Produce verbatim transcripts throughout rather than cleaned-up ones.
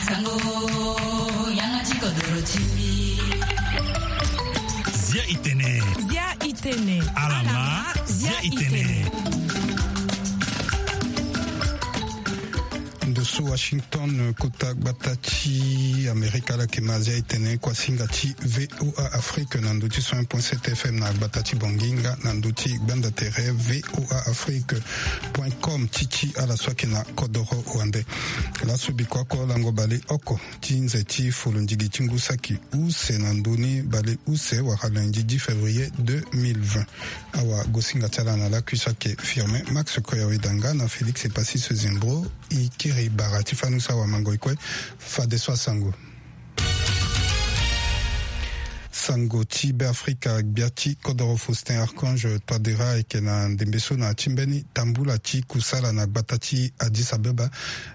Sango, yanga ti kodoro ti mbi. Zia i tene. Zia i tene. Alama, zia i tene. Ndo so Washington, kota gbata ti Amerika, ala yeke ma zia i tene kuasinga ti V O A Afrique na ndo ti cent un point sept F M na gbata ti Bangui nga na ndo ti gbanda tere V O A Afrique point com ti ti ala so ayeke na kodoro wande. Laso bikua oko lango baleoko ti nze ti folondigi ti ngu saki use na ndö ni baleuse wala lundi dix février deux mille vingt. Awa gosinga ti ala na lakui so ayeke Firmin Max Koyawedanga na Félix Epassi Sezembro. E kiri bara ti fani so awamango e kue. Fadeso asango. Sango ti Beafrika, gbia ti kodoro Faustin Archange Touadéra ayeke na ndembe so na ya ti mbeni tambula ti kusala na gbata ti Addis Abeba,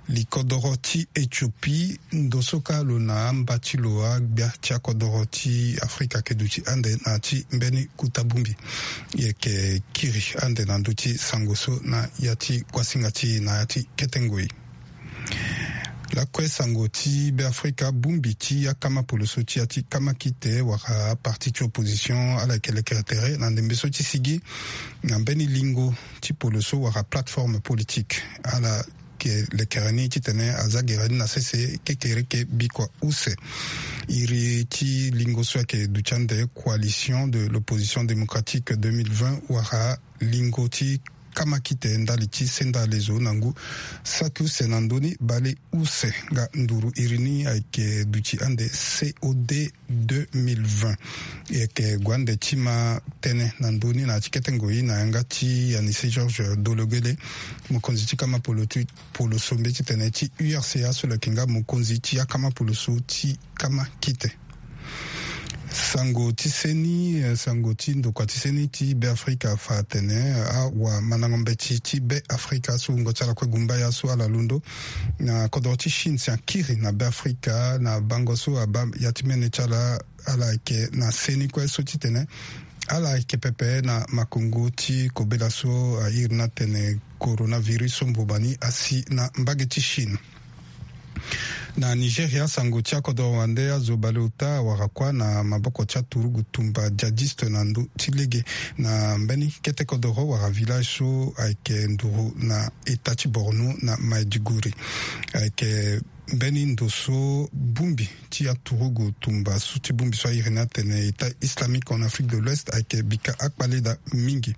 likodoro ti Ethiopie. Ndo so ka lo na amba ti lo agbia ti akodoro ti Afrika ayeke duti ande na ya ti mbeni kuta bongbi. E yeke kiri ande na ndö ti sango so na ya ti kuasinga ti e na ya ti kete ngoi. Lakue sango ti Beafrika, bongbi ti akama poloso ti ya ti kamakite wala aparti ti opposition ala yeke lekere tere na ndembe so ti sigi na mbeni lingo ti poloso wala plateforme politique. Ala yeke lekere ni titene aza gere ni na sese kekereke bikua use. Iri ti lingo so ayeke duti ande Coalition de l'Opposition Démocratique deux mille vingt wala lingo ti kamakite ndali ti senda lezo na ngu saki use na ndö ni baleuse. Nga nduru iri ni ayeke duti ande C O D deux mille vingt. E yeke gue ande ti ma tënë na ndö ni na ya ti kete ngoi na yanga ti Anissé Georges Dologuélé, mokonzi ti kama polo ti poloso mbeti ti tene ti U R C A so lo yeke nga mokonzi ti akama poloso ti kamakite. Sango ti seni, eh, sango ti ndokua ti seni ti Beafrika afa atene, eh, awamandango mbeti ti Beafrika so wungo ti ala kue gumba ya so ala londo na kodoro ti Chine si akiri na Beafrika na bango so abaa ya ti mene ti ala. Ala yeke na seni kue so titene ala yeke pepe na makongo ti kobela so airi ni atene coronavirus so mboma ni asi na mbage ti Chine. Na Nigeria, sango ti akodoro wande azo baleota awara kuâ na maboko ti aturugu tumba djihadiste na ndö ti lege na mbeni kete kodoro wala village so ayeke nduru na eta ti Borno na Maiduguri. Ayeke mbeni ndo so bongbi ti aturugu tumba so ti bongbi so airi ni atene État islamique en Afrique de l'Ouest ayeke bika akpale daa mingi.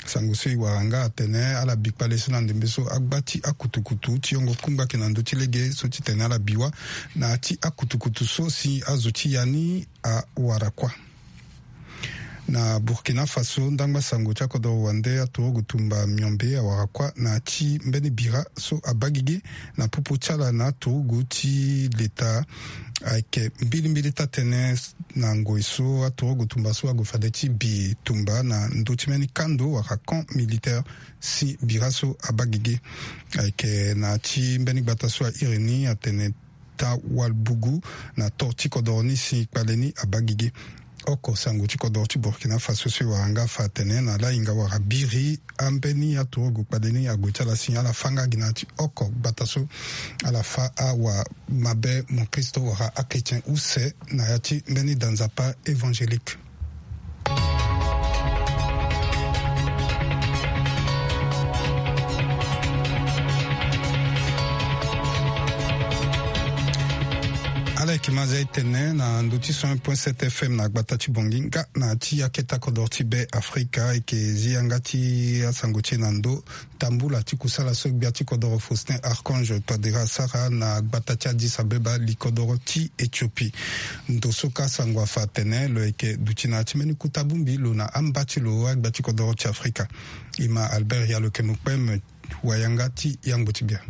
Sango so e wara nga atene ala bi kpale so na ndembe so agba ti akutukutu ti yongo kungba ayeke na ndö ti lege so titene ala bi wâ na ya ti akutukutu so si azo ti ya ni awara kuâ. Na Burkina Faso, ndangba sango ti akodoro wande aturugu tumba miombe awara kuâ na ya ti mbeni bira so abaa gigi na popo ti ala na aturugu ti leta. Ayeke mbilimbili taa tënë na ngoi so aturugu tumba so ague fade ti bi tumba na ndö ti mbeni kando wala camp militaire si bira so abaa gigi. Ayeke na ya ti mbeni gbata so airi ni atene Tawalbugu na to ti kodoro ni si kpale ni abaa gigi. Oko sango ti kodoro ti Burkina Faso so e wara nga afa atene na lahinga wala biri ambeni aturugu kpale ni ague ti ala si ala fâ nga gi na ya ti oko gbata so ala fâ awamabe mokristo wala achrétien use na ya ti mbeni danzapa évangélique. Ala yeke ma zia e tene na ndö ti cent un point sept F M na gbata ti Bangui nga na ya ti akete kodoro ti Beafrika. E yeke zi yanga ti asango ti e na ndö tambula ti kusala so gbia ti kodoro Faustin Archange Touadéra asara na gbata ti Addis Abeba, likodoro ti Éthiopie. Ndo so ka sango afa atene lo yeke duti na ya ti mbeni kuta bongbi lo na amba ti lo agbia ti kodoro ti Afrika. E ma Albert Yalokemo Kpem, wayanga ti yangbo ti bia.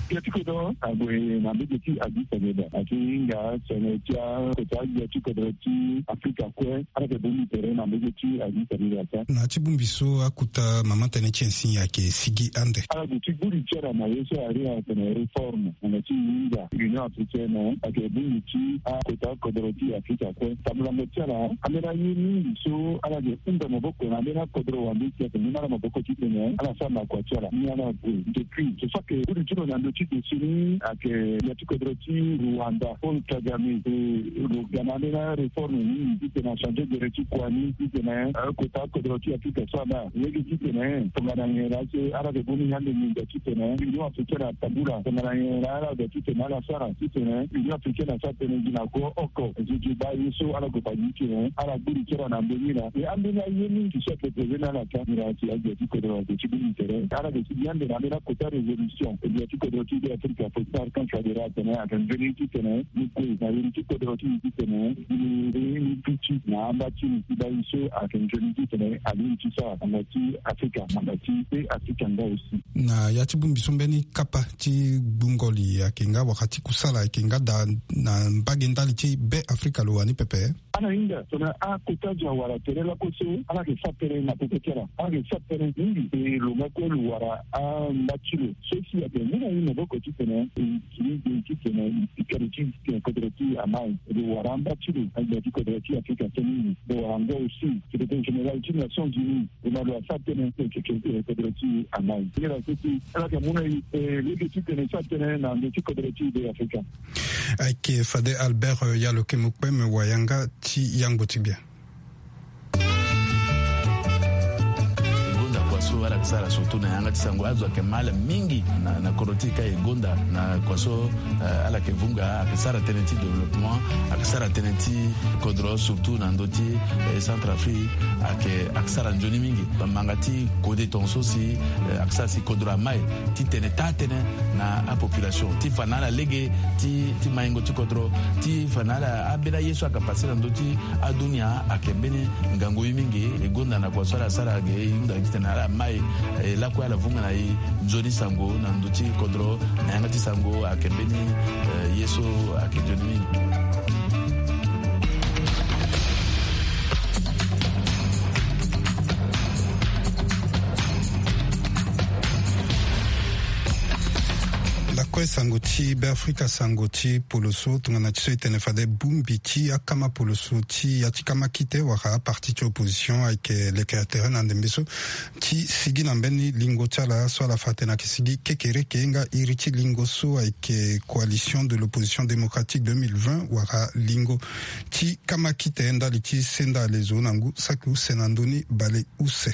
Gbia ti kodoro ague na mbege ti Addis Abeba. Ahinga tene ti akota gbia ti kodoro ti Afrika kue ala yeke bongbi tere na mbege ti Addis Abeba. Na ya ti bongbi so akuta mama tënë ti e si ayeke sigi ande. Ala duti gbuli ti ala na ye so ari atene réforme na ya ti hinga Union Africaine ayeke bongbi ti akota kodoro ti Afrika kue. Tambulango ti ala ambeni aye mingi so ala yeke hunda maboko na ambeni akodoro wande si ayeke mu na ala maboko titene ala sara na kua ti ala ni ala gue. Depuis so so ayeke gbuli ti lo na ndö Ti desini ayeke ya ti kodro ti Rwanda, Paul Kagame. E lo ga na ambeni aréforme mingi titene achangé gere ti kua ni titene akota kodro ti Afrika so ala lege titene tongana nyen laa so ala yeke boni ande nginza titene Union Africaine atambula, tongana nyen laa ala ga titene ala sara titene Union Africaine asara tënë gi na go oko. Nzoni baa ye so ala gue baa gi titene ala gbiri ti ala na mbeni laa. E ambeni aye mingi so ayeke posé na ala ka ngira si ague ti kodro ayeke ti bongbi tere ala yeke ti gi ande na ambeni akota résolution. E bia ti kodro ti Be Afrika fo ti Arkan Touadéra atene ayeke nzoni titene ni gue na iri ti kodro ti ni titene ni ri ni duti na amba ti ni ti baa ye so ayeke nzoni titene alingbi ti sara na nda ti Afrika na nda ti Be Afrika nga aussi. Na ya ti bongbi so mbeni kapa ti gbungo li ayeke nga wala ti kusala ayeke nga daa na mbage ndali ti Be Afrika lo wani pepe. Ala hinga tongana akota zo awara tere laku so ala yeke sara tënë na popo ti ala. Ala yeke sara tënë mingi e lo nga kue lo wara amba ti lo so si ayeke mu na ye maboko titene e kiri ge titene e pika lo ti titene kodro ti amai. Lo wara amba ti lo na gbia ti kodro ti Afrika so mingi. Lo wara ngo aussi secrétaire général ti Nations Unies. Lo na lo asara tënë ti kodro ti amai. Ngira so si ala yeke mu na e lege titene e sara tënë na ndo ti kodro ti Be Afrika. Ayeke fade Albert, eh, Yaloke Mokpeme, wayanga ti yangbo ti gbia. E gonda kua so ala yeke sara surtout na yanga ti sango. Azo ayeke mal mingi na, na kodro ti e ka e gonda na kua so, eh, ala yeke vunga, ayeke sara tënë ti développement, ayeke sara tënë ti kodro surtout na ndö ti, eh, Centrafrique, ayeke, ayeke sara nzoni mingi. Bamanga ti kode tongaso si, eh, ayeke sara si kodro amai. Ti tene taa tënë na apopulation ti fa na ala lege ti, ti maingo ti kodro, ti fa na ala ambeni aye so ayeke pase na ndö ti adunia ayeke mbeni ngangu ye mingi. E gonda na kua so ala sara ge e hunda titene ala mai, eh, lakue ala vunga na e nzoni sango na ndö ti kodro na yanga ti sango ayeke mbeni, eh, ye so ayeke nzoni mingi. Lakue sango ti Be Afrika, sango ti poloso, tongana ti so e tene fade bongbi ti akama poloso ti ya ti kama kite wala aparti ti opposition ayeke lekere tere na ndembe so ti sigi na mbeni lingo ti ala so ala fa atene ayeke sigi kekereke nga iri ti lingo so ayeke Coalition de l'Opposition Démocratique deux mille vingt wala lingo ti kama kite ndali ti senda alezo na ngu saki use na ndö ni bale use.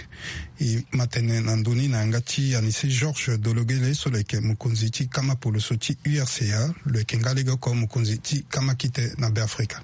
E ma tene na ndö ni na yanga ti Anissé Georges Dologele so lo yeke mokonzi ti kama poloso ti U R C A, lo yeke nga legeoko mokonzi ti kama kite na Be Afrika.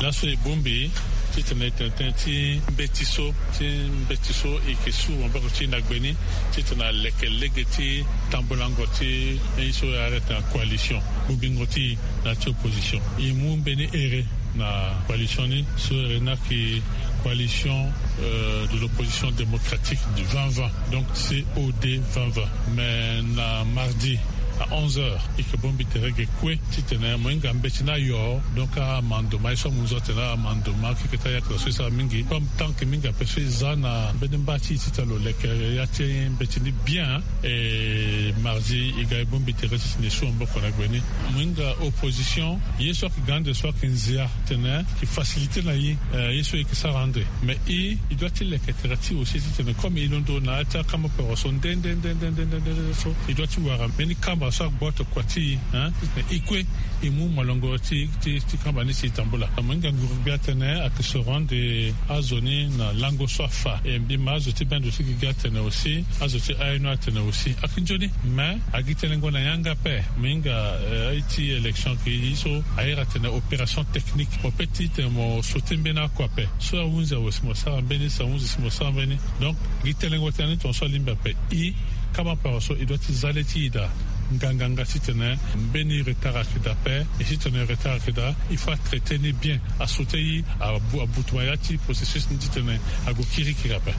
Laso e bongbi titene e tene tënë ti mbeti so, ti mbeti so e yeke su maboko ti e na gbe ni titene aleke lege ti tambulango ti ye so e arrêté na coalition. Bongbingo ti e na ya ti opposition. E mu mbeni ere na coalition ni so ere ni ayeke Coalition, euh, de l'Opposition Démocratique du vingt vingt, donc C O D vingt vingt. Mais na mardi à onze heures e yeke bongbi tere ge kue titene mo hinga mbeti ni ayo, donc amandoma ye so amu nzoni atene amandoma keke ti ayakala so e sara mingi comme tant que mingi ape so e za na mbeni mba ti e titene lo leke ya ti mbeti ni bien. E mardi e ga e bongbi tere titene e su maboko na gbe ni. Mo hinga opposition, ye so ayeke ga ande so ayeke nzia tene e facilité na e, eh, ye so e yeke sara ande. Mais e, e doit ti leke tere ti e aussi titene comme e londo na ya ti akamba poro so nde nde nde nde nde so e doit ti wara mbeni kamba so agboto kua ti e, hein, titene e kue e mu molongo ti, ti, ti kamba ni si e tambula. Mo hinga nguru gbia atene ayeke soro ande azo ni na lango so afa. E mbi ma azo ti bendo ti gigi atene aussi, azo ti aye ni atene aussi. Ayeke nzoni, mais a gi telengo na yanga ape. Mo hinga, eh, aye ti élection ki ye so a iri atene opération technique. Mo peut ti tene mo sauté mbeni oko ape. So ahunzi awe si mo sara mbeni, so ahunzi si mo sara mbeni. Donc gi telengo tënë ni tongaso alingbi ape. E kama paro so e doit ti za le ti e daa nganganga titene mbeni retard ayeke daa ape. E titene retard ayeke daa, il faut atraité ni bien, asauté e, abu, abutuma ya ti processus ni titene ague kirikiri ape.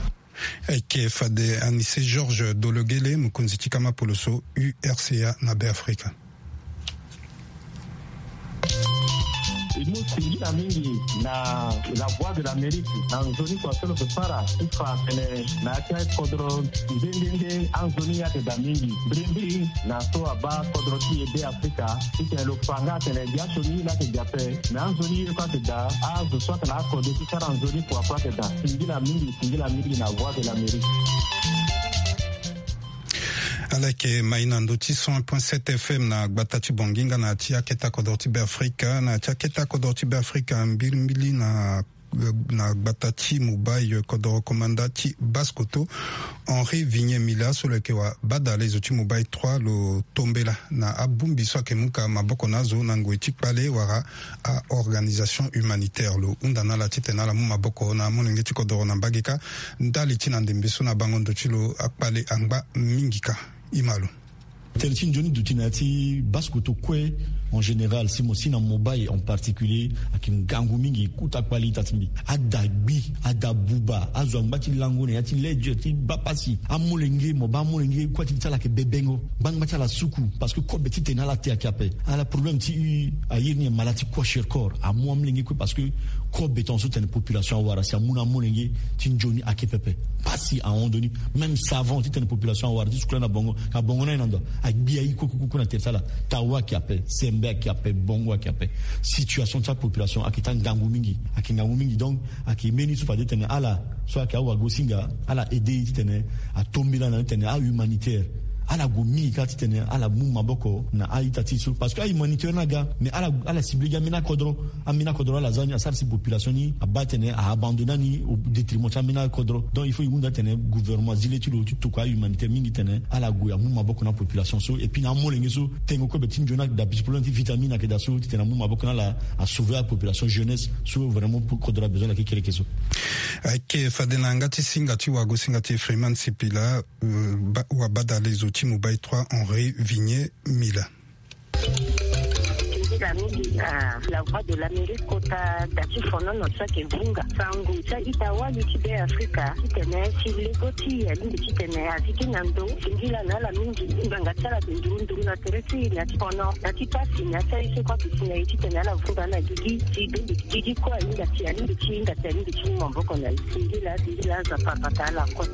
Ayeke fade Anissé Georges Dologele, mokonzi ti kama poloso U R C A na Be Afrika. E mu singila mingi na La Voix de l'Amérique na nzoni kua so lo yeke sara ti fa atene na ya ti akodro nde nde nde anzoni ayeke daa mingi. Mbirimbiri na so abaa kodro ti e Be Afrika titene lo fa nga atene biasioni ye laa ayeke daa ape, me anzoni ye kue ayeke daa. Azo so ayeke na akode ti sara nzoni kua kue ayeke daa. Singila mingi, singila mingi na Voix de l'Amérique. Ala yeke mai na ndö ti cent un point sept F M na gbata ti Bangui nga na ti aketa kodoro ti Beafrika. Na ti aketa kodoro ti Beafrika, mbirimbiri na na gbata ti Mobay, kodoro komanda ti Basse-Kotto, Henri Vigné Mila, so lo yeke wa badale zo ti Mobay trois, lo tombela na abongbi so ayeke mu ka maboko na azo na ngoi ti kpale wala a-organisation humanitaire. Lo hunda na ala titene ala mu maboko na amolenge ti kodoro na mbage kâ, ndali ti na ndembe so na bango ndo ti lo akpale angba mingi kâ. Ima lo. Tënë ti nzoni duti na ya ti Basse-Kotto kue en général, si mo si na Mobay en particulier, ayeke ngangu mingi. Kota kpali ita ti mbi, ada gbi, ada buba, azo angba ti lango na ya ti lege ti baa pasi. Amolenge, mo baa amolenge, kue ti gi ti ala ayeke bebengo. Ngbangba ti ala suku, parce que kobe titene ala te ayeke ape. Ala problème ti airi ni, mala ti kwashiorkor amu amolenge kue, parce que kobe tongaso titene population awara, si amu na amolenge ti nzoni ayeke pepe. Pasi ahon ndo ni. Même savon titene population awara ti suku lani na bongo, ka bongo ni aye na ndo, agbi aye kue kue kue na tere ti ala. Tawo ayeke ape, sembe ayeke ape, bongo ayeke ape. Situation ti apopulation ayeke ti angangu mingi, ayeke ngangu mingi. Donc ayeke mbeni so fade titene ala so ayeke awagosinga, ala aide titene atombela na titene ahumanitaire, ala gue mingi kâ titene ala mu maboko na a-ita ti so, parce que ahumanitaire ni aga, mais ala, ala cible gi ambeni akodro. Ambeni akodro ala za ni, asara si population ni abaa titene a-abandonner ni au détriment ti ambeni akodro. Donc il faut e hunda titene gouvernement azi le ti lo ti tokua ahumanitaire mingi titene ala gue amu maboko na population so, et puis na amolenge so tengo kobe ti nzoni, dapi ti problème ti vitamine ayeke daa so, titene amu maboko na ala asauver apopulation jeunesse so vraiment kodro abezoin na kekereke so. Ayeke fade na yanga ti singa ti wagosinga ti Freeman Sipila, euh, ba-, wa badale zo ti Mobay trois, Henri Vigné Mila. Nzila mingi na La Voix de l'Amérique kota da ti fonono so ayeke vunga sango ti a-ita wali ti Beafrika titene si lego ti e alingbi titene azi gi na ndo. Singila na ala mingi, ngbanga ti ala ayeke nduru nduru na tere ti e, na ti fono, na ti pasi, na ti aye so kue aduti na e titene ala vunga na gigi. Si bembe gigi kue ahinga si alingbi ti hinga si alingbi ti mu maboko na e. Singila, singila, Nzapa abata ala kue.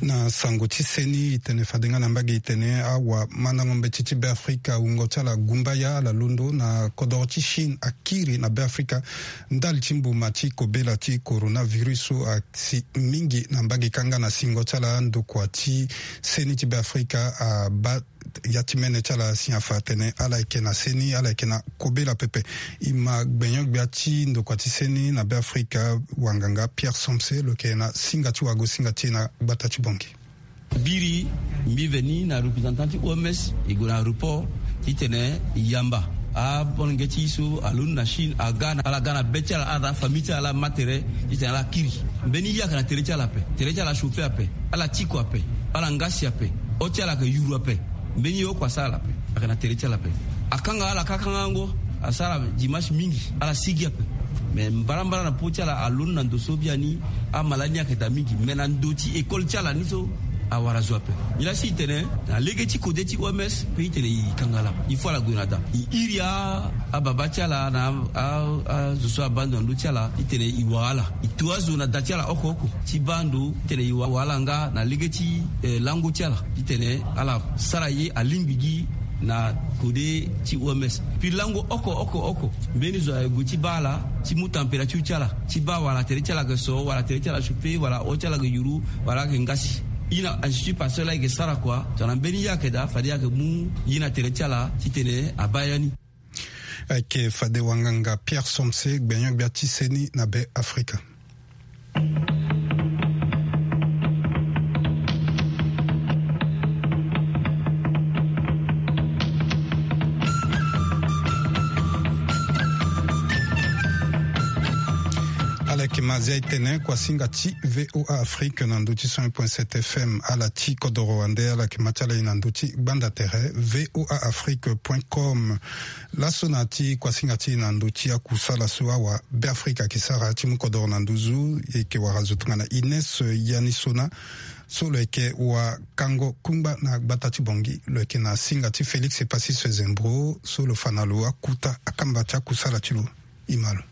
Na sango ti seni, e tene fade nga na mbage, e tene awamandango mbeti ti Beafrika, wungo ti ala gumbaya, ala londo na kodoro ti Chine akiri na Beafrika ndali ti mbuma ti kobela ti coronavirus so asi mingi na mbage kâ. Nga na singo ti ala, ndokua ti seni ti Beafrika abaa ya ti mene ti ala si afa atene ala yeke na seni, ala yeke na kobela pepe. E ma gbenyo-gbia ti ndokua ti seni na Beafrika, wanganga Pierre Somse, lo yeke na singa ti wagosinga ti e na gbata ti Bangui. Biri, mbi veni na représentant ti O M S, e gue na aéroport titene e yamba amolenge ti e so alondo na Chine, aga na, ala ga na be ti ala, ala na afamille ti ala, ala ma tere titene ala kiri. Mbeni ye ayeke na tere ti ala ape, tere ti ala achauffer ape, ala tiko ape, ala ngasi ape, o ti ala ayeke yuru ape. Mbeni ye oko asara ala ape, ayeke na tere ti ala ape. Akanga ala kâ kangango, asara dimanche mingi, ala sigi ape. Me mbarambara na po ti ala alondo na ndo so biani, amala ni ayeke daa mingi. Me na ndo ti école ti ala ni so, awara zo ape. Nilaa si e tene na lege ti kode ti O M S, pe e tene e kanga ala, il faut ala gue na da. E iri a, ababa ti ala na a, a, azo so abaa ndo na ndö ti ala, e tene e wa ala. E to azo na da ti ala oko oko ti baa ndo, e tene e wa, wa ala nga na lege ti, eh, lango ti ala, e tene ala sara ye alingbi gi na kode ti O M S. Puis lango oko oko oko, mbeni zo aye gue ti baa ala, ti mu température ti ala, ti baa wala tere ti ala ayeke so, wala tere ti ala achauffer, wala o ti ala ayeke yuru, wala ayeke ngasi. E na Institut Pasteur laa e yeke sara kua, tongana mbeni ye ayeke daa, fade e yeke mu ye na tere ti ala titene abaa ya ni. Ayeke fade wanganga Pierre Somse, gbenyo-gbia ti seni na Beafrika. Ala yeke ma zia e tene kuasinga ti V O A Afrique na ndö ti cent un point sept F M. Ala ti kodoro wande, ala yeke ma ti ala e na ndö ti gbanda tere, V O A Afrique point com. Laso na ya ti kuasinga ti e na ndö ti akusala so awa Beafrika ayeke sara ti mu kodoro na nduzu, e yeke wara zo tongana Ines Yanisona, so lo yeke wakango kungba na gbata ti Bangui. Lo yeke na singa ti Félix Epasis Zembro, so lo fa na lo akuta akamba ti akusala ti lo. E ma lo.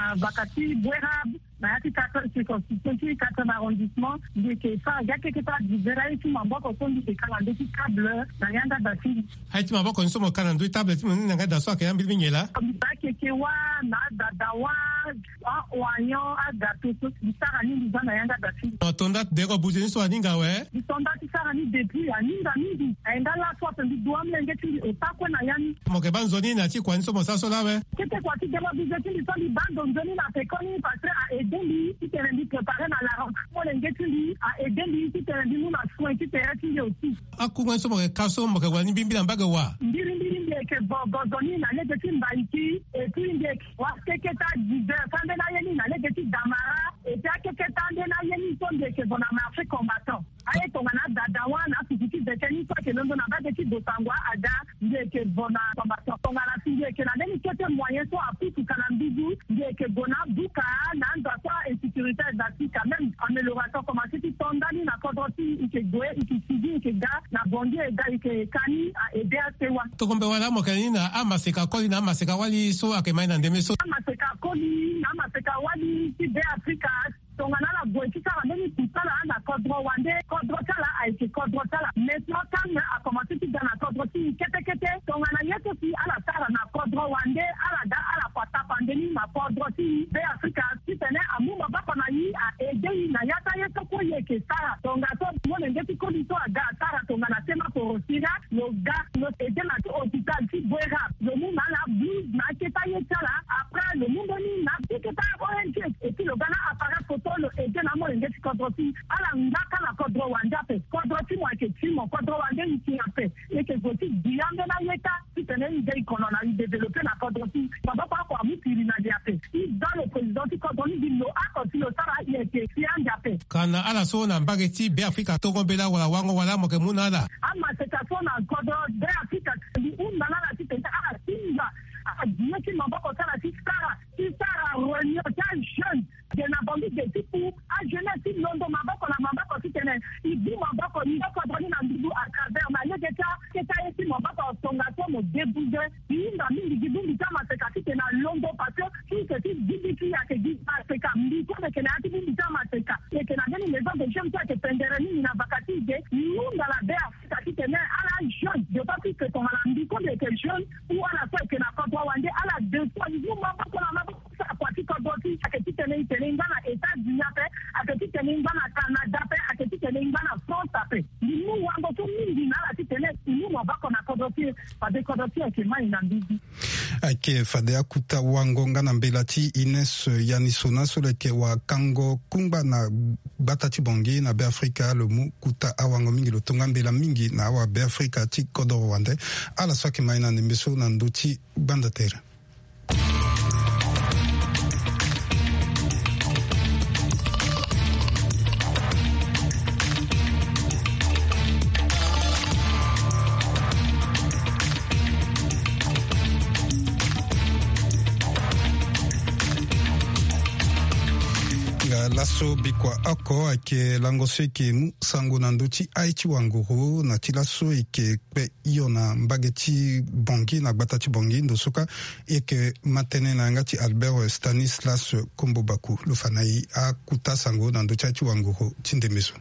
Ah, baka ti Bouérab, na ya ti quatrième, circonscription ti quatrième arrondissement, mbi yeke sara ga keke ti adivera ye ti maboko so mbi yeke ka na ndö ti table na yanga da ti mbi. Aye ti maboko ni so mo ka na ndö ti table ti mo ni na yanga da so ayeke ya mbirimbiri nyen laa? Mbi baa keke wâ, na adada wâ. Aoignon, agato so mbi sara ni, mbi za na yanga da ti mbi. Atonda ti deko buze ni so aninga awe. Mbi tonda ti sara ni depuis, aninga mingi. Ayenda laso ape mbi du amolenge ti mbi ota kue na ya ni. Mo yeke baa nzoni na ti kua ni so mo sara so laa awe. Kete kua ti dema buze ti mbi so mbi baa ndo nzoni na pekoni, pasteur a aidé mbi titene mbi préparer na la rentrée. Molenge ti mbi a aidé mbi titene mbi mu na soin ti tere ti mbi aussi. Akunga ni so mo yeke ka so mo yeke wara ni mbirimbiri na mbage wa? Mbirimbiri mbi yeke bogo nzoni na lege ti Mbaïki, et puis mbi yeke wara keketa dix heures, ande na ye ni na lege ti Damara, et puis akeketa ande na ye ni so mbi yeke vo na marché combattant. Aye tongana Dadawa na afufu ti Beke ni so ayeke londo na mbage ti Bossangoa ada, mbi yeke vo na combattant. Tongana si mbi yeke na mbeni kete moyen so apusu ka na mbizu, mbi yeke gue na abuka na anza so a-insécurité aza ti quand même amélioration commencé ti to ndani na kodro ti e, e yeke gue, e yeke sigi, e yeke ga na Bangui, e ga e yeke ka ni a aidé asewa. Tongombe wala mo yeke na ni na amaseka koli na amaseka wali so ayeke ma e na ndembe so? Amaseka koli na amaseka wali ti Beafrika, tongana ala gue ti sara mbeni kusala na kodro wande, kodro ti ala ayeke kodro ti ala. Maintenant calme akomanse ti ga na kodro ti e kete kete. Tongana ye so si ala sara na kodro wande, ala ga ala kua tapande ni na kodro ti e Beafrika, titene amu maboko na e, a aidé e na ya ti aye so kue e yeke sara. Tongaso molenge ti koli so aga asara tongana Tema Porosira, lo ga lo aidé na ti hôpital ti Bouérab, lo mu na ala blouse na akete aye ti ala. Après lo mu mbeni na akete a-ONG, et puis lo ga na appareil photo, lo aidé na amolenge ti kodro ti e. Ala ngba ka na kodro wande ape. Kodro ti mo ayeke ti mo, kodro wande e yeke ape. E yeke zo ti gbi ande na ye ka titene e ga e kono na e développé na kodro ti e. Maboko oko amu piri na li ape. E za lo président ti kodro ni, mbi lo oko si lo sara, e yeke si ande ape. Ka na ala so na mbage ti Beafrika, tongo mbela wala wango wala mo yeke mu na ala? Amaseka so na kodro Beafrika, mbi hunda na ala titene ala tinga, ala gi ye ti maboko ti ala ti sara, ti sara réunion ti ajeune. Ge na Bangui ge ti pu, ajeunesse ti londo maboko na maboko titene e bu maboko, e yeke kodro ni na nduzu à travers na lege ti akete aye ti maboko. Tongaso mo débouze. E hinga mingi gi bongbi ti amaseka titene alondo, parce que ti e yeke ti gi bongbi ti e, ayeke gi maseka. Mbi so mbi yeke na ya ti bongbi ti amaseka, e yeke na mbeni maison de jeunes so ayeke pendere mingi na vaka ti e ge. E hunda na Beafrika titene ala jeune, d'autant plus que tongana mbi so mbi yeke jeune, ou ala so ayeke na kodro wande, ala deux fois, e mu maboko na maboko ti sara kua ti kodro ti e. Ayeke titene e tene e ngba na États-Unis ape, ayeke titene e ngba na Canada ape, ayeke titene e ngba na France ape. Mbi mu wango so mingi na ala titene e mu maboko na kodro ti e, fade kodro ti e ayeke mai na mbizi. Ayeke fade akuta wango nga na mbela ti Ines Yanisona so lo yeke wakango kungba na gbata ti Bangui na Beafrika. Lo mu kuta awango mingi, lo tonga mbela mingi na awa Beafrika ti kodro wande. Ala so ayeke mai na ndembe so na ndö ti gbanda tere. Nga laso bikua oko ayeke lango so e yeke mu sango na ndö ti aye ti wanguru na ti laso e yeke kpe hio na mbage ti Bangui, na gbata ti Bangui. Ndo so kâ e yeke ma tënë na yanga ti Albert Stanislas Kombo Baku. Lo fa na e akuta sango na ndö ti aye ti wanguru ti ndembe so.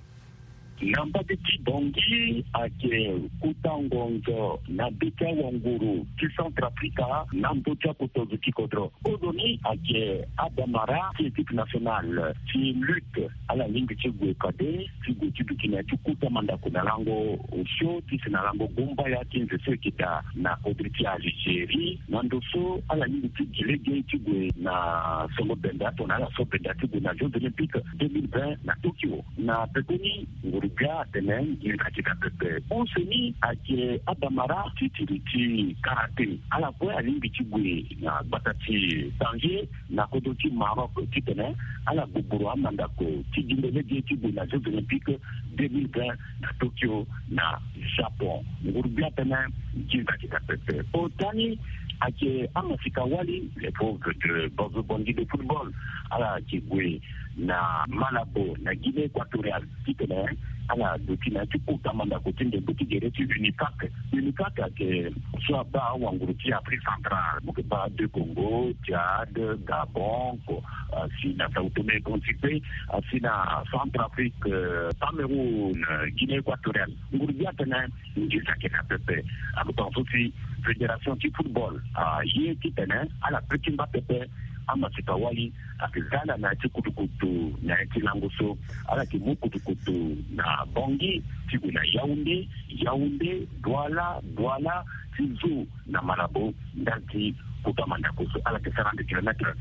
Na mbage ti Bangui ayeke kuta ngonzo na be ti awanguru ti Centrafrique na ndö ti akoto zo ti kodro. Kozoni ayeke abamara ti équipe nationale ti lutte, ala lingbi ti gue kade ti gue ti duti na ya ti kuta mandako na lango osio ti si na lango gumbaya ti nze so e yeke daa na kodro ti Algérie. Na ndo so ala lingbi ti gi lege ti gue na songo benda tongana ala so benda ti gue na Jeux Olympiques deux mille vingt na Tokyo. Na pekoni nguru-gbia atene nginza ayeke daa pepe. Use ni ayeke abamara ti tiri ti karaté. Ala kue alingbi ti gue na gbata ti Tanger na kodro ti Maroc titene ala gbogboro amandako ti gi ndo lege ti gue na Jeux Olympiques deux mille vingt na Tokyo na Japon. Nguru-gbia atene nginza ayeke daa pepe. Ota ni ayeke amasika wali, les Fauves de Bangui de football, ala yeke gue na Malabo na Guinée équatoriale titene ala duti na ya ti kota mandako ti ndembe ti gere ti UNIFAC. UNIFAC ayeke so abaa awanguru ti Afrique centrale, mo yeke baa deux Congo, Tchad, Gabon, ko, asi na Sao Tome et Principe, asi na Centrafrique, euh, Cameroun, euh, Guinée équatoriale. Nguru-gbia atene nginza ayeke daa pepe. Akotonga so si fédération ti football aye titene ala pe ti ngba pepe. amaseka wali ayeke za ala na ya ti kutukutu na ya ti lango so. Ala yeke mu kutukutu na Bangui ti gue na Yaoundé, Yaoundé, Douala, Douala ti zo na Malabo ndali ti kota mandako so. Ala yeke sara ande kilomètre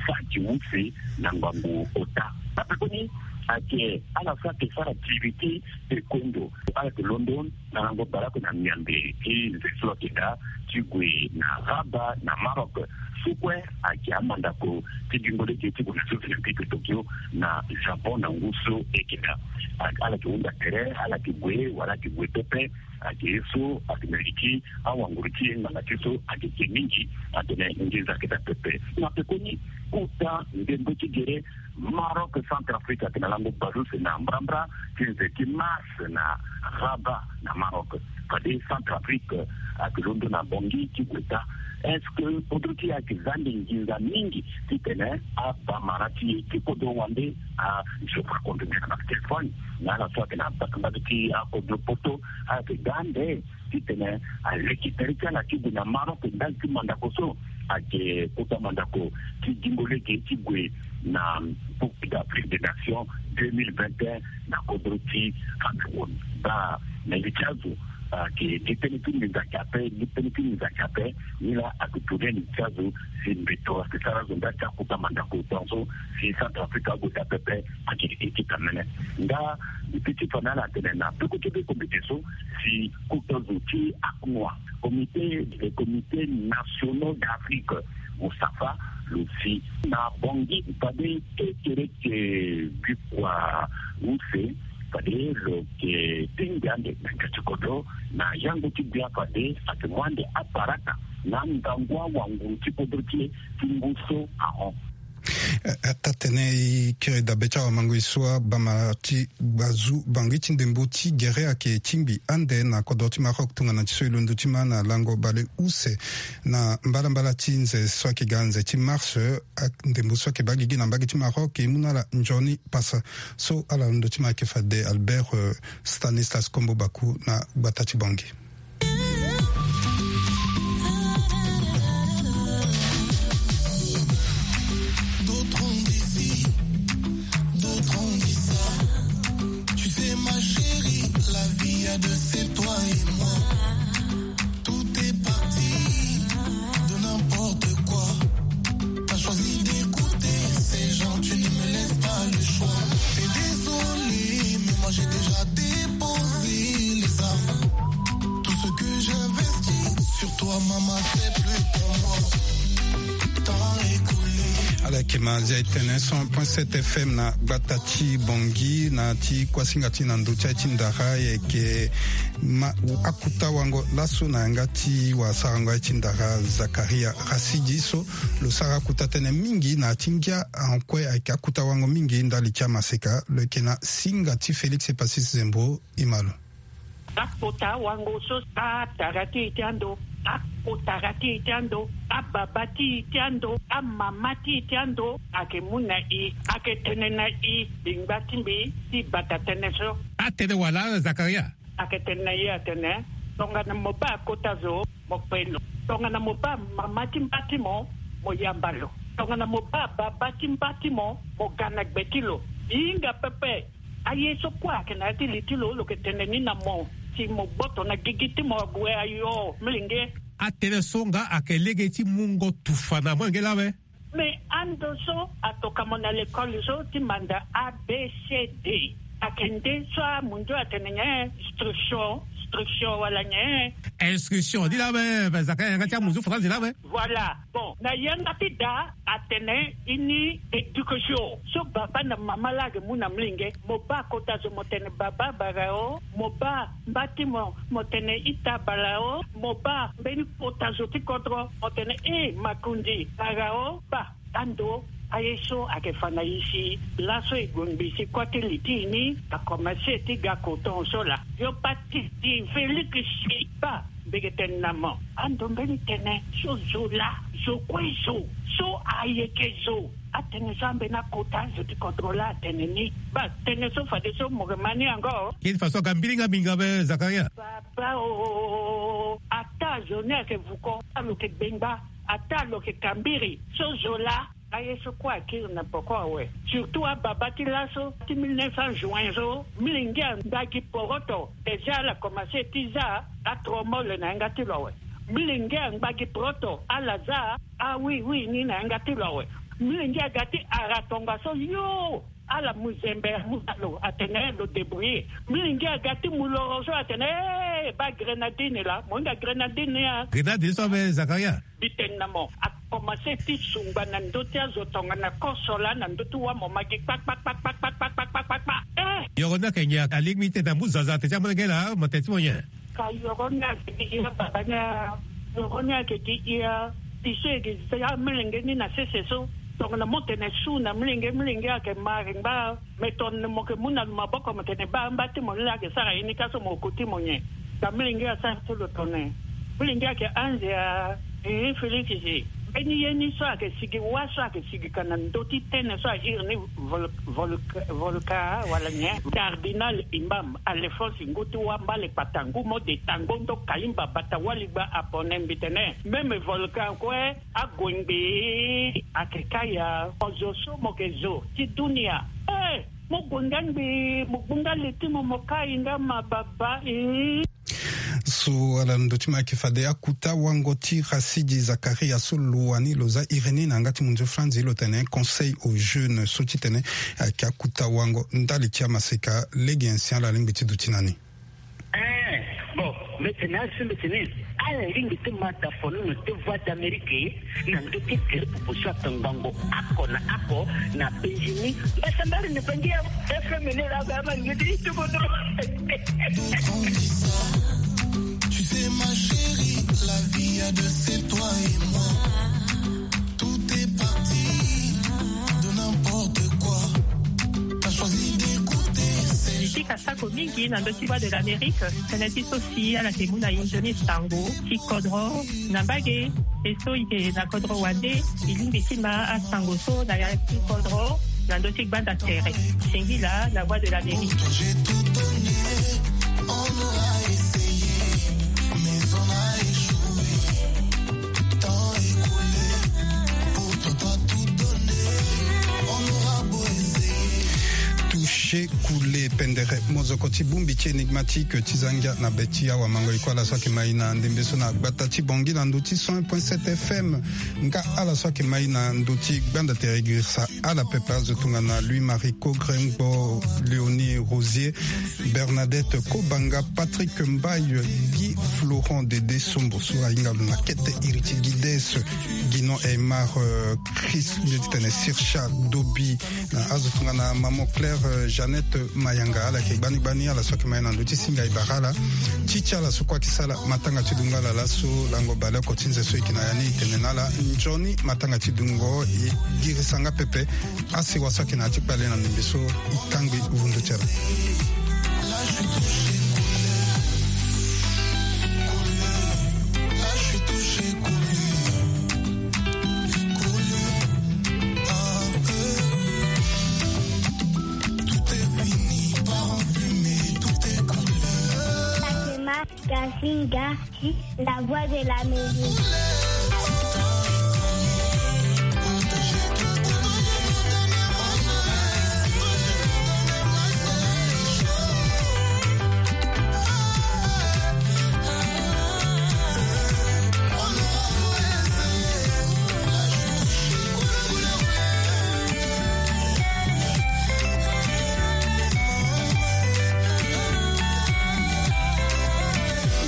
saki use na ngangu ota. Ape koni ayeke ala so ayeke sara tiri ti Ekondo. Ala yeke londo na lango baleoko na miambe ti nze so ayeke daa ti gue na Rabat na Maroc. So kue ayeke amandako ti gingo lege ti gue na Jeux Olympiques Tokyo na Japon na ngu so e yeke daa. Ala yeke hunda tere, ala yeke gue wala ala yeke gue pepe. Ayeke ye so ayeke na li ti awanguru ti e ngbanga ti e so ayeke ge mingi. Atene nginza ayeke daa pepe. Na pekoni kota ndembo ti gere Maroc Centrafrique ayeke na lango baleuse na mbrambra ti nze ti mars na Rabat na Maroc. Fade Centrafrique ayeke londo na Bangui ti gue daa. Est-ce que kodro ti e ayeke za ande nginza mingi titene abamara ti e ti kodro wande a je crois qu'on devient na Espagne na ala so ayeke na mbage ti akodro poto. Ala yeke ga ande titene aleke tere ti ala ti gue na Maroc ndali ti mandako so ayeke kota mandako ti gingo lege ti gue na Coupe d'Afrique des Nations deux mille vingt et un na kodro ti Cameroun. Baa na li ti azo ayeke gi tënë ti nginza ayeke ape, gi tënë ti nginza ayeke ape. Nilaa ayeke tourne li ti azo si mbeto ayeke sara azo nda ti akota mandako tongaso si Centrafrique ague daa pepe. Ayeke équipe amene. Nga li ti ti fa na ala atene na peko ti be kombite so si kota zo ti aknoa comité, les comités nationaux d'Afrique, Moustapha lo si na Bangui fade kekereke bikua use. Fade lo yeke tingbi ande gbege ti kodro na yango ti gbia fade ayeke mu ande aparata na ngangu awanguru ti kodro ti e ti ngu so ahon. Eh, ata tene e kiri dabe ti awamangoi so abamara ti gbazu Bangui ti ndembo ti gere ayeke tingbi ande na kodro ti Maroc tongana ti so e londo ti ma na lango baleuse na mbalambala ti nze so ayeke ga nze ti mars. Ndembo so ayeke baa gigi na mbage ti Maroc e mu na ala nzoni pasa. So ala londo ti ma ayeke fade Albert, eh, Stanislas Kombo Baku na gbata ti Bangui. D'autres ont dit ci, d'autres ont dit ça. Tu sais, ma chérie, la vie a de c'est toi et moi. Tout est parti de n'importe quoi. T'as choisi d'écouter ces gens, tu ne me laisses pas le choix. Et désolé, mais moi j'ai déjà déposé les armes. Tout ce que j'investis sur toi, maman, c'est plus pour moi. T'as écoulé. Ala yeke ma zia e tene cent point sept F M na gbata ti Bangui na ti kuasinga ti na ndö ti aye ti ndara. E yeke ma akuta wango laso na yanga ti wasarango aye ti ndara Zakaria Rasidi so lo sara akuta tënë mingi na ya ti ngia. Ankue ayeke akuta wango mingi ndali ti amaseka. Lo yeke na singa ti Félix Epasis Zembo. E ma lo. Akota wango so atara ti e ti ando, akotara ti e ti ando, ababa ti e ti ando, amama ti e ti ando, ayeke mu na e, ayeke tene na e, bingba ti mbi ti bata tënë so. Atene wala Zakaria? Ayeke tene na e atene, tongana mo baa kota zo, mo kpe lo. Tongana mo baa mama ti mba ti mo, mo yamba lo. Tongana mo baa baba ti mba ti mo, mo ga na gbe ti lo. E hinga pepe. Aye so kue ayeke na ya ti li ti lo, lo yeke tene ni na mo si mo gboto na gigi ti mo ague ayo molenge. Atënë so nga ayeke lege ti mungo tufa na molenge laa awe. Me ando so atoka mo na lekole so ti manda A B C D. Ayeke nde so amundio atene nyen? Instruction, instruction wala nyen? Instruction, ni laa awe. Zaka yanga ti amunzu faranzi laa awe. Voilà. Bon, na yanga ti da atene ini éducation so baba na mama laa ayeke mu na molenge. Mo baa kota zo mo tene baba bara o, mo baa mba ti mo mo tene ita bara o, mo baa mbeni kota zo ti kodro mo tene e makundi bara o. Baa ando aye so ayeke fa na e si laso e gue ngbii si kue ti li ti e ni akomanse ti ga koton so laa. Yo pa ti di Félix si baa mbege tene na mo. Ando mbeni tene so zo laa, zo kue zo, so ayeke zo. Atene so ambeni akota zo ti kodro laa atene ni. Baa tene so fadeso mo yeke ma ni yango. Kini faso aga mbiringa minga be Zakaria. Baba o, ata zo ni ayeke vuko, alo yeke gbengba, ata lo yeke kambiri so zo laa. Aye so kue akiri na poko awe. Surtout ababa ti laso ti mille neuf cents juin so, milenge angba gi poroto. Déjà ala commencé ti za atromole na yanga ti lo awe. Milenge angba gi poroto, ala za awiwi ni na yanga ti lo awe. Milenge aga ti ara tongaso yo. Ala mu zembe amu na lo atene lo débrouiller. Milenge aga ti mu loro so atene, eh, baa grenadine laa, mo hinga grenadine ni a. Grenadine so ame Zakaria. Mbi tene na mo, akomanse ti sungba na ndö ti azo tongana koso laa na ndö ti wâ mo ma gi kpakpakpakpakpakpakpakpakpakpa. Eh! Yoro ni ayeke nyen? Alingbi ti tene amu zaza atene ti amolenge laa, mo tene ti mo nyen? Ka yoro ni ayeke gi hia baba ni a. Yoro ni ayeke gi hia. Ti so e yeke za amolenge ni na sese so. Tongana mo tene su na molenge, molenge ayeke ma aringba. Me tongana mo yeke mu na lo maboko mo tene baa mba ti mo ni laa ayeke sara ye ni ka so mo koti mo nyen? Ka molenge asara ti lo tongana. Molenge ayeke anze a. Ee, Félix si. Mbeni ye ni so ayeke sigi wâ so ayeke sigi ka na ndö ti tënë so a iri ni vol-, vol-, volka wala nyen? Cardinal Imam Alphonse ngu ti wâ mbale kpata ngu mo de tango ndo Kaimba bata wali gba apone mbi tene. Même volcan kue ague ngbii ayeke kâ ya. Mo zo so mo yeke zo ti dunia. Eh! Mo gue nga ngbii, mo gbu nga li ti mo, mo kai nga ma baba, eh. So ala ndö ti mo ayeke fade akuta wango ti Rasidi Zakaria so lo wani lo za iri ni na yanga ti mondio France, lo tene Conseil aux jeunes so titene ayeke akuta wango ndali ti amaseka. Lege nyen si ala lingbi ti duti na ni? Eh, bon, mbi tene asi mbi tene ala lingbi ti ma da fono na te Voix d'Amérique na ndö ti tere popo so atongbango oko na oko na Benjini. Mbasambari ni bangi ya F M ni laa ba ma ngi ti ti kodro. Tu sais, ma chérie, la vie a de c'est toi et moi. Tout est parti de n'importe quoi. T'as choisi d'écouter ces... Mbi pika sako mingi na ndö ti Voix de l'Amérique. Tënë ti so si ala yeke mu na e nzoni sango ti kodro na mbage. E so e yeke na kodro wande, e lingbi ti ma asango so na ya ti kodro na ndö ti gbanda tere. Singila na Voix de l'Amérique. J'ai tout donné, on aura essayé, mais on a échoué. Temps écoulé, pourtant t'as tout donné, on aura beau essayer. Touché, coulé, pendere, mozoko ti bongbi ti énigmatique ti za ngia na be ti awamango. E kue ala so ayeke ma e na ndembe so na gbata ti Bangui na ndö ti cent un point sept F M. Nga ala so ayeke ma e na ndö ti gbanda tere, girisa ala pepe. Azo tongana Louis Marie Kogrengbo, Léonie Rosier, Bernadette Kobanga, Patrick Mbaye, Guy Florent, Dédé Sombo so ahinga lo na kete iri ti Guides, Guinon Aymar, euh, Chris, mbi tene Sircha Dobi, na azo tongana Maman Claire, euh, Jeannette Mayanga, ala yeke gbani gbani ala so ayeke ma e na ndö ti singa e bara ala. Ti ti ala so kue ayeke sala matanga ti dungo ala laso, lango baleoko ti nze so e yeke na ya ni, e tene na ala nzoni matanga ti dungo. E girisa nga pepe. Asewa so ayeke na ya ti kpale na ndembe so, e kangbi vundu ti ala. Fatima Kasinga, la voix de l'Amérique.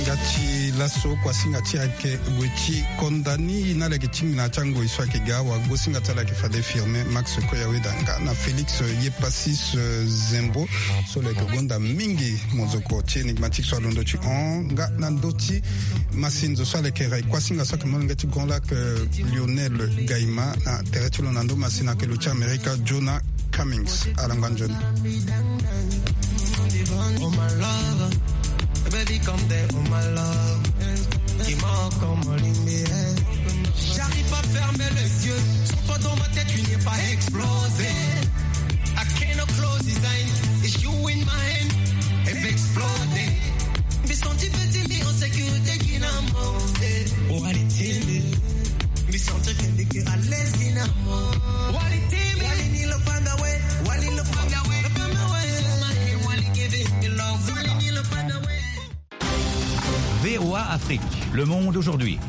Nga ti laso, kuasinga ti ayeke gue ti konda ni na lege ti ngbina ti angoi so ayeke ga, wagosinga ti ala ayeke fade Firmin Max Koyaweda nga na Félix Yepasis, euh, Zembo, so lo yeke gonda mingi mozoko ti énigmatique so alondo ti hon nga na ndö ti masinzo so ala yeke rai kuasinga so ayeke molenge ti Grand Lac, euh, Lionel Gaïma, na tere ti lo na ndö masina ayeke lo ti Amerika, Jonah Cummings. Ala ngba nzoni. Oh my love, baby, come there, oh my love. Dis-moi comment l'aimer. J'arrive pas à fermer les yeux. Saute pas dans ma tête, tu n'es pas explosé. I cannot close his eyes. It's you in my hand. If exploding. Mbi senti petit, mi en sécurité, Guinamo. Oh, allez, tiens. Mbi senti que t'es à l'aise, Guinamo. Le monde aujourd'hui.